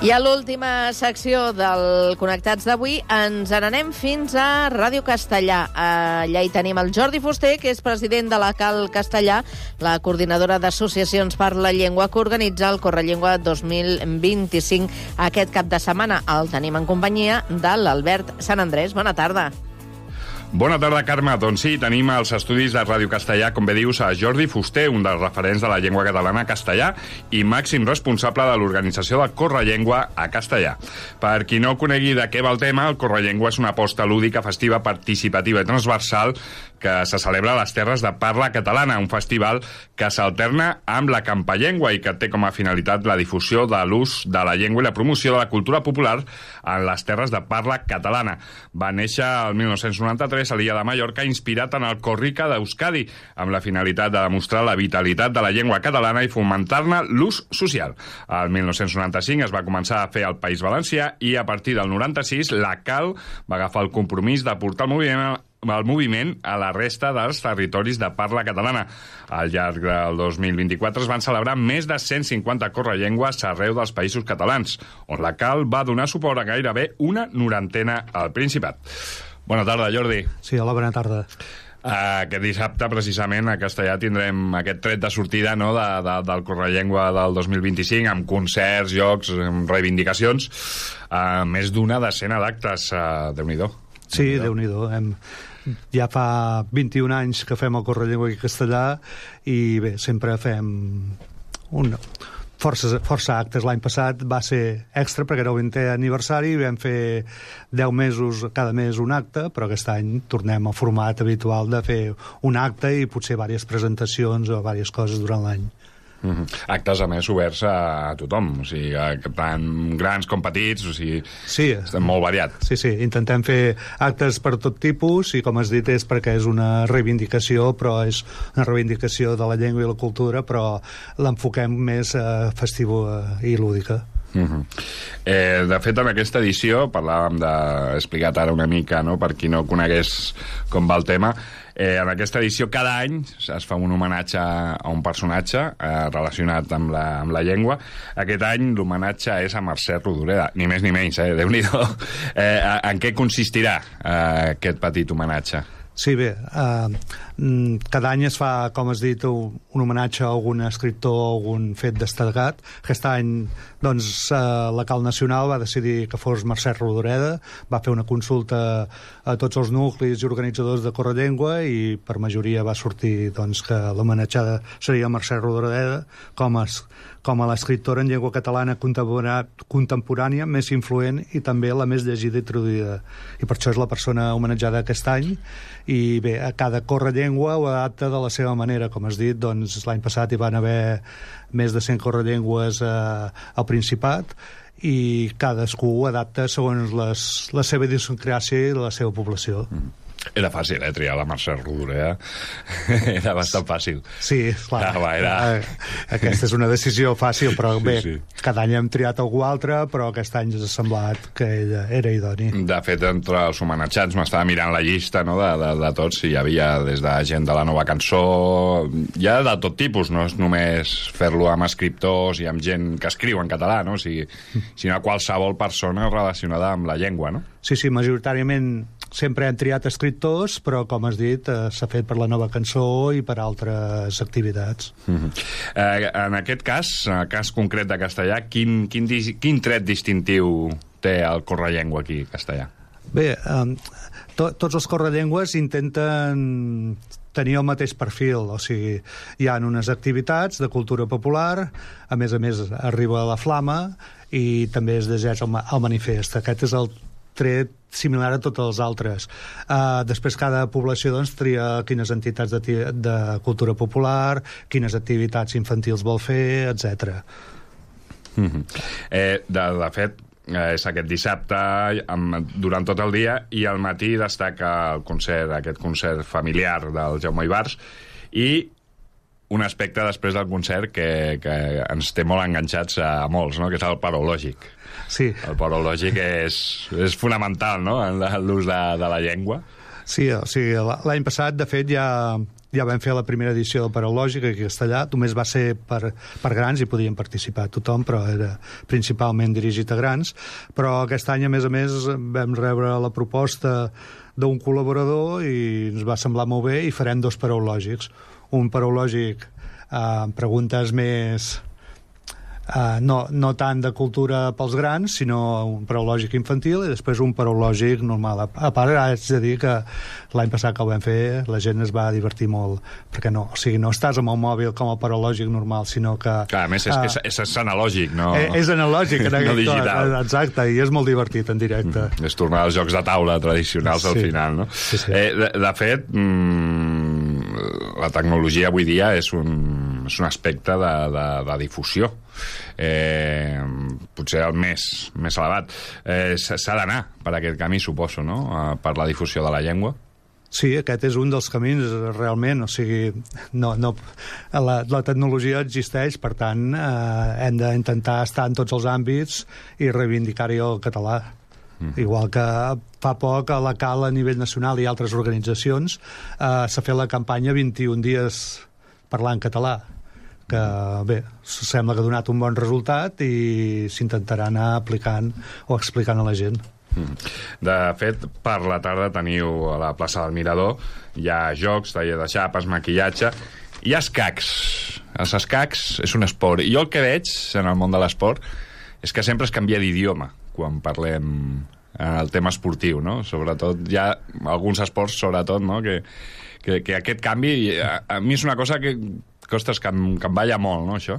I a l'última secció del Connectats d'avui ens n'anem fins a Ràdio Castellà. Allà hi tenim el Jordi Fuster, que és president de la CAL Castellà, la coordinadora d'associacions per la llengua que organitza el Correllengua 2025 aquest cap de setmana. El tenim en companyia de l'Albert Sant Andrés. Bona tarda. Bona tarda, Carme. Doncs sí, tenim als estudis de Ràdio Castellà, com bé dius, a Jordi Fuster, un dels referents de la llengua catalana a castellà i màxim responsable de l'organització del Correllengua a castellà. Per qui no conegui de què va el tema, el Correllengua és una aposta lúdica, festiva, participativa i transversal que se celebra a les terres de parla catalana, un festival que s'alterna amb la Campallengua i que té com a finalitat la difusió de l'ús de la llengua i la promoció de la cultura popular en les terres de parla catalana. Va néixer el 1993 a l'illa de Mallorca, inspirat en el Corrica d'Euskadi, amb la finalitat de demostrar la vitalitat de la llengua catalana i fomentar-ne l'ús social. El 1995 es va començar a fer al País Valencià i a partir del 96 la CAL va agafar el compromís de portar el moviment a la resta dels territoris de parla catalana. Al llarg del 2024 es van celebrar més de 150 correllengües arreu dels països catalans, on la CAL va donar suport a gairebé una 90 al Principat. Bona tarda, Jordi. Sí, hola, bona tarda. Aquest dissabte, precisament, a Castellà tindrem aquest tret de sortida, no, del Correllengua del 2025, amb concerts, jocs, reivindicacions, més d'una decena d'actes. Déu-n'hi-do. Sí, Déu-n'hi-do. Ja fa 21 anys que fem el Correllengua aquí a Castellà i bé, sempre fem força actes. L'any passat va ser extra perquè era el 20è aniversari i vam fer 10 mesos cada mes un acte, però aquest any tornem al format habitual de fer un acte i potser diverses presentacions o diverses coses durant l'any. Actes, a més, oberts a tothom, o sigui, tant grans com petits, o sigui, sí, estem molt variat. Sí, intentem fer actes per tot tipus i, com has dit, és perquè és una reivindicació, però és una reivindicació de la llengua i la cultura, però l'enfoquem més festiva i lúdica. De fet, en aquesta edició parlàvem he explicat ara una mica, no?, per qui no conegués com va el tema. En aquesta edició cada any es fa un homenatge a un personatge relacionat amb la llengua. Aquest any l'homenatge és a Mercè Rodoreda, ni més ni menys, Déu-n'hi-do. En què consistirà aquest petit homenatge? Sí, bé, cada any es fa, com has dit, un homenatge a algun escriptor o algun fet destacat. Aquest any, doncs, la CAL Nacional va decidir que fos Mercè Rodoreda, va fer una consulta a tots els nuclis i organitzadors de Correllengua i per majoria va sortir, doncs, que l'homenatjada seria Mercè Rodoreda com a l'escriptora en llengua catalana contemporània més influent i també la més llegida i traduïda. I per això és la persona homenatjada aquest any. I bé, a cada correllengua ho adapta de la seva manera. Com has dit, doncs, l'any passat hi van haver més de 100 correllengües al Principat i cadascú ho adapta segons la seva idiosincràsia i la seva població. Era fàcil, triar la Mercè Rodoreda. Era bastant fàcil. Sí, clar. Aquesta és una decisió fàcil, però bé, sí. Cada any hem triat algú altre, però aquest any ens ha semblat que ella era idoni. De fet, entre els homenatjats m'estava mirant la llista, no?, de tots, i hi havia des de gent de la nova cançó, ja de tot tipus, no és només fer-lo amb escriptors i amb gent que escriu en català, no?, sinó qualsevol persona relacionada amb la llengua, no? Sí, majoritàriament sempre hem triat escriptors, però, com has dit, s'ha fet per la nova cançó i per altres activitats. En aquest cas, en el cas concret de Castellà, quin tret distintiu té el Correllengua aquí a Castellà? Bé, tots els correllengües intenten tenir el mateix perfil, o sigui, hi ha unes activitats de cultura popular, a més arriba la flama i també es llegeix el manifest. Aquest és el tret similar a tots els altres. Després cada població, doncs, tria quines entitats de cultura popular, quines activitats infantils vol fer, etc. De fet, és aquest dissabte durant tot el dia i al matí destaca aquest concert familiar del Jaume Ibars i un aspecte després del concert que ens té molt enganxats a molts, no?, que és el parològic. Sí. El parològic és fonamental, no?, en l'ús de la llengua. Sí, o sigui, l'any passat, de fet, ja ja vam fer la primera edició del Paraulògic aquí a Castellà, només va ser per grans i podien participar tothom, però era principalment dirigit a grans, però aquest any, a més, vam rebre la proposta d'un col·laborador i ens va semblar molt bé i farem 2 paraulògics. Un paraulògic amb preguntes més... no tant de cultura pels grans, sinó un paraulògic infantil i després un paraulògic normal. A part, haig de dir que l'any passat que el vam fer la gent es va divertir molt, perquè no estàs amb el mòbil com el paraulògic normal, sinó que... Clar, a més, és analògic, no? És analògic, no digital. Exacte, i és molt divertit en directe. És tornar als jocs de taula tradicionals al final, no? Sí. De fet, la tecnologia avui dia és un aspecte de difusió. Potser el més elevat. S'ha d'anar per aquest camí, suposo, no? Per la difusió de la llengua. Sí, aquest és un dels camins, realment. O sigui, la tecnologia existeix, per tant, hem d'intentar estar en tots els àmbits i reivindicar-hi el català. Igual que fa poc a la CAL a nivell nacional i altres organitzacions s'ha fet la campanya 21 dies parlant català, que bé, sembla que ha donat un bon resultat i s'intentarà anar aplicant o explicant a la gent. De fet, per la tarda teniu a la plaça del Mirador, hi ha jocs, taller de xapes, maquillatge, hi ha escacs. Els escacs és un esport. I jo el que veig en el món de l'esport és que sempre es canvia d'idioma quan parlem el tema esportiu, no? Sobretot hi ha alguns esports, sobretot, no? que aquest canvi a mi és una cosa que ostres, que em balla molt, no, això?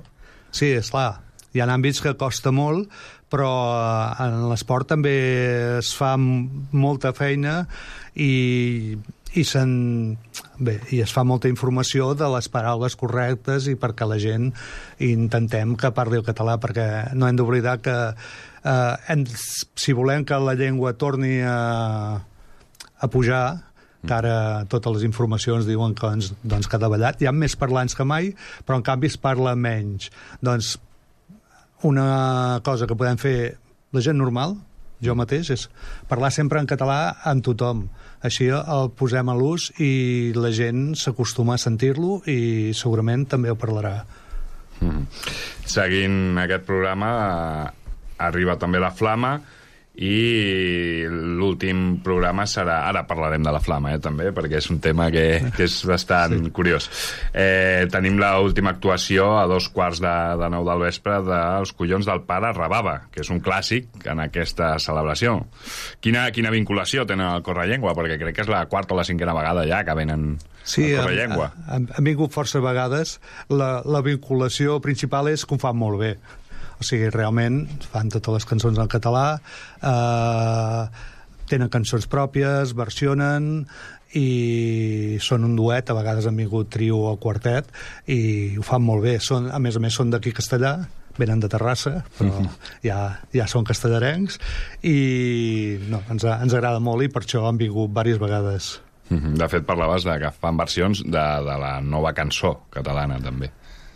Sí, esclar. Hi ha àmbits que costa molt, però en l'esport també es fa molta feina i es fa molta informació de les paraules correctes i perquè la gent intentem que parli el català, perquè no hem d'oblidar que si volem que la llengua torni a pujar, que ara totes les informacions diuen que, que ha davallat. Hi ha més parlants que mai, però en canvi es parla menys. Doncs una cosa que podem fer la gent normal, jo mateix, és parlar sempre en català amb tothom. Així el posem a l'ús i la gent s'acostuma a sentir-lo i segurament també ho parlarà. Seguint aquest programa arriba també la Flama i l'últim programa serà... Ara parlarem de la Flama, també, perquè és un tema que és bastant curiós. Tenim l'última actuació a 8:45 del vespre dels Collons del Pare Rabava, que és un clàssic en aquesta celebració. Quina vinculació tenen al Correllengua? Perquè crec que és la 4ª o la 5ª vegada ja que venen al Correllengua. Han vingut força vegades. La vinculació principal és que ho fan molt bé. O sigui, realment fan totes les cançons en català, tenen cançons pròpies, versionen i són un duet, a vegades han vingut trio o quartet i ho fan molt bé. A més són d'aquí Castellà, venen de Terrassa, però ja són castellarencs i ens agrada molt i per això han vingut diverses vegades. De fet, parlaves de que fan versions de la nova cançó catalana, també.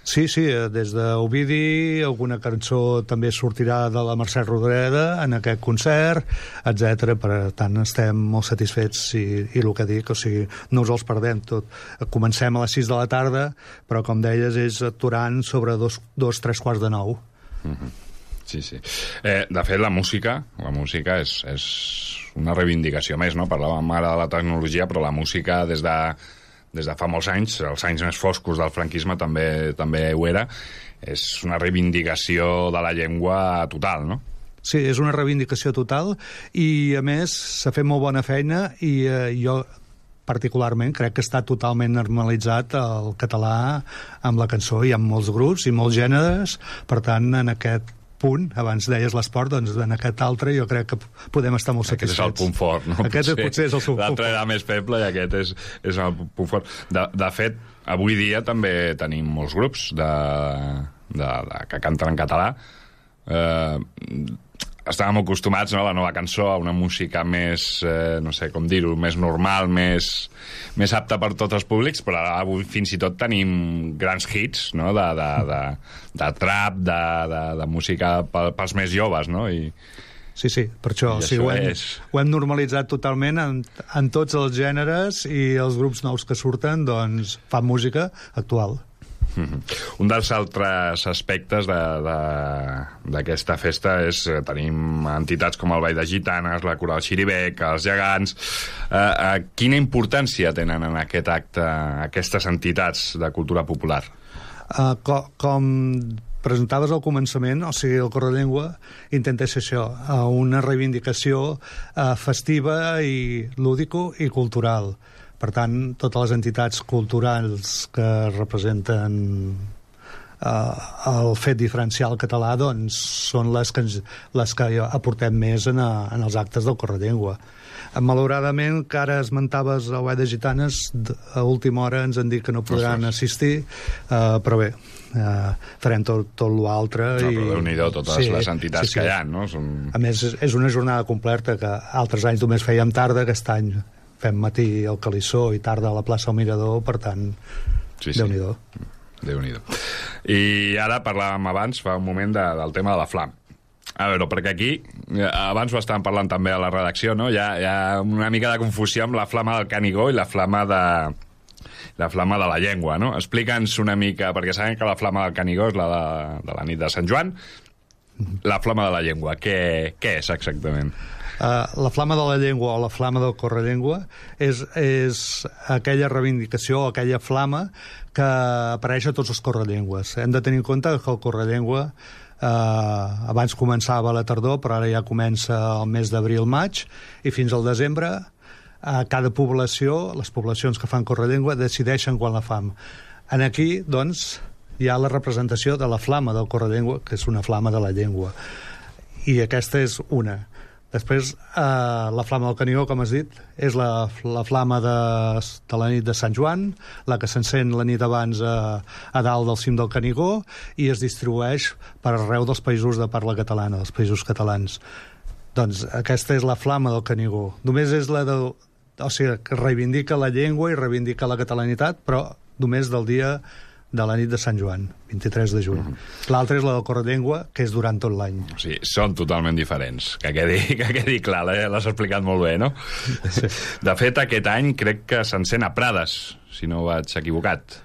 Sí, des d'Ovidi, alguna cançó també sortirà de la Mercè Rodoreda en aquest concert, etc. Per tant, estem molt satisfets i el que dic, o sigui, no us els perdem tot. Comencem a les 6 de la tarda, però, com deies, és aturant sobre 3:45. Sí. De fet, la música és una reivindicació més, no? Parlàvem ara de la tecnologia, però la música des de fa molts anys, els anys més foscos del franquisme també ho era, és una reivindicació de la llengua total, no? Sí, és una reivindicació total i, a més, s'ha fet molt bona feina i jo particularment crec que està totalment normalitzat el català amb la cançó. Hi ha molts grups i molts gèneres, per tant, en aquest punt, abans deies l'esport, doncs en aquest altre jo crec que podem estar molt satisfets. Aquest és el punt fort, no? Aquest potser és el punt fort. L'altre era més feble i aquest és el punt fort. De fet, avui dia també tenim molts grups que canten en català. Estàvem acostumats, no, a la nova cançó, a una música més, no sé com dir-ho, més normal, més apta per tots els públics, però avui fins i tot tenim grans hits, no?, de trap, de música pels més joves, no? Sí, per això. I ho hem normalitzat totalment en tots els gèneres i els grups nous que surten doncs, fan música actual. Un dels altres aspectes d'aquesta festa és tenim entitats com el Ball de Gitanes, la Coral Xirivec, els Gegants. Quina importància tenen en aquest acte aquestes entitats de cultura popular? Com presentaves al començament, o sigui, el Correllengua intenta ser això, una reivindicació festiva i lúdico i cultural. Per tant, totes les entitats culturals que representen el fet diferencial català doncs, són les que aportem més en els actes del Correllengua. Malauradament, que ara esmentaves el Ball de Gitanes, a última hora ens han dit que no podran assistir, però bé, farem tot l'altre. Però Déu-n'hi-do, totes les entitats que hi ha, no? A més, és una jornada completa, que altres anys només fèiem tarda, aquest any fem matí al Calissó i tarda a la plaça del Mirador, per tant, Déu-n'hi-do. Déu-n'hi-do. I ara parlàvem abans, fa un moment, del tema de la flama. A veure, perquè aquí, abans ho estàvem parlant també a la redacció, no? Hi ha una mica de confusió amb la flama del Canigó i la flama de la llengua, no? Explica'ns una mica, perquè sabem que la flama del Canigó és la de la nit de Sant Joan. La flama de la llengua, què és exactament? La flama de la llengua o la flama del Correllengua és aquella reivindicació, aquella flama que apareix a tots els correllengües. Hem de tenir en compte que el Correllengua abans començava a la tardor, però ara ja comença el mes d'abril-maig, i fins al desembre cada població, les poblacions que fan Correllengua, decideixen quan la fan. Aquí, doncs, hi ha la representació de la flama del Correllengua, que és una flama de la llengua. I aquesta és una. Després, la flama del Canigó, com has dit, és la flama de la nit de Sant Joan, la que s'encén la nit abans a dalt del cim del Canigó i es distribueix per arreu dels països de parla catalana, dels països catalans. Doncs aquesta és la flama del Canigó. Només és la de... O sigui, que reivindica la llengua i reivindica la catalanitat, però només del dia de la nit de Sant Joan, 23 de juny. L'altra és la del Correllengua, que és durant tot l'any. O sigui, són totalment diferents. Que quedi clar, l'has explicat molt bé, no? Sí. De fet, aquest any crec que s'encén a Prades, si no vaig equivocat.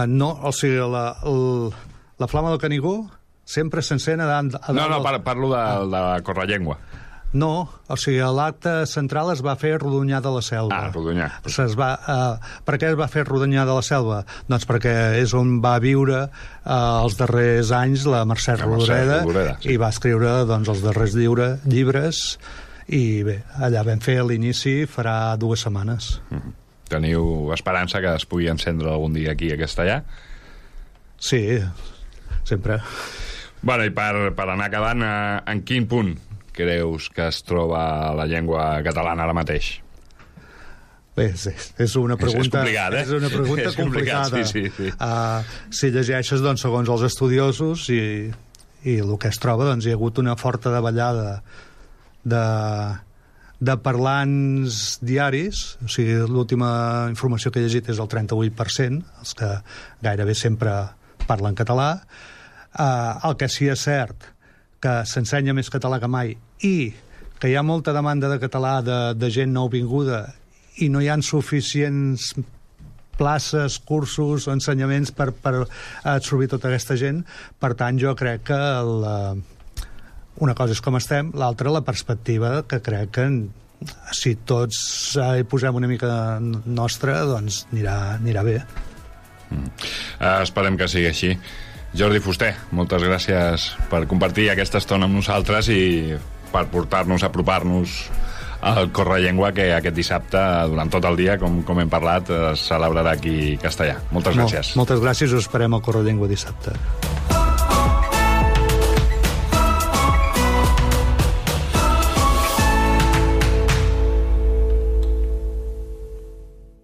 No, o sigui, la flama del Canigó sempre s'encén a dalt... No, parlo de la Correllengua. No, o sigui, l'acte central es va fer a Rodonyà de la Selva. Rodonyà. Per què es va fer Rodonyà de la Selva? Doncs perquè és on va viure els darrers anys la Mercè Rodoreda, i va escriure doncs, els darrers llibres, i bé, allà vam fer l'inici farà 2 setmanes. Teniu esperança que es pugui encendre algun dia aquí a Castellà? Sí, sempre. Bueno, i per anar acabant, en quin punt creus que es troba la llengua catalana ara mateix? Bé, és una pregunta... És complicat, És una pregunta complicada. Sí. Si llegeixes, doncs, segons els estudiosos i el que es troba, doncs, hi ha hagut una forta davallada de parlants diaris, o sigui, l'última informació que he llegit és el 38%, els que gairebé sempre parlen català. El que sí és cert que s'ensenya més català que mai i que hi ha molta demanda de català de gent nouvinguda i no hi ha suficients places, cursos o ensenyaments per absorbir tota aquesta gent. Per tant, jo crec que una cosa és com estem, l'altra la perspectiva, que crec que si tots hi posem una mica nostra, doncs anirà bé. Esperem que sigui així. Jordi Fuster, moltes gràcies per compartir aquesta estona amb nosaltres i per portar-nos, apropar-nos al Correllengua, que aquest dissabte, durant tot el dia, com hem parlat, es celebrarà aquí a Castellà. Moltes gràcies. Moltes gràcies, us esperem al Correllengua dissabte.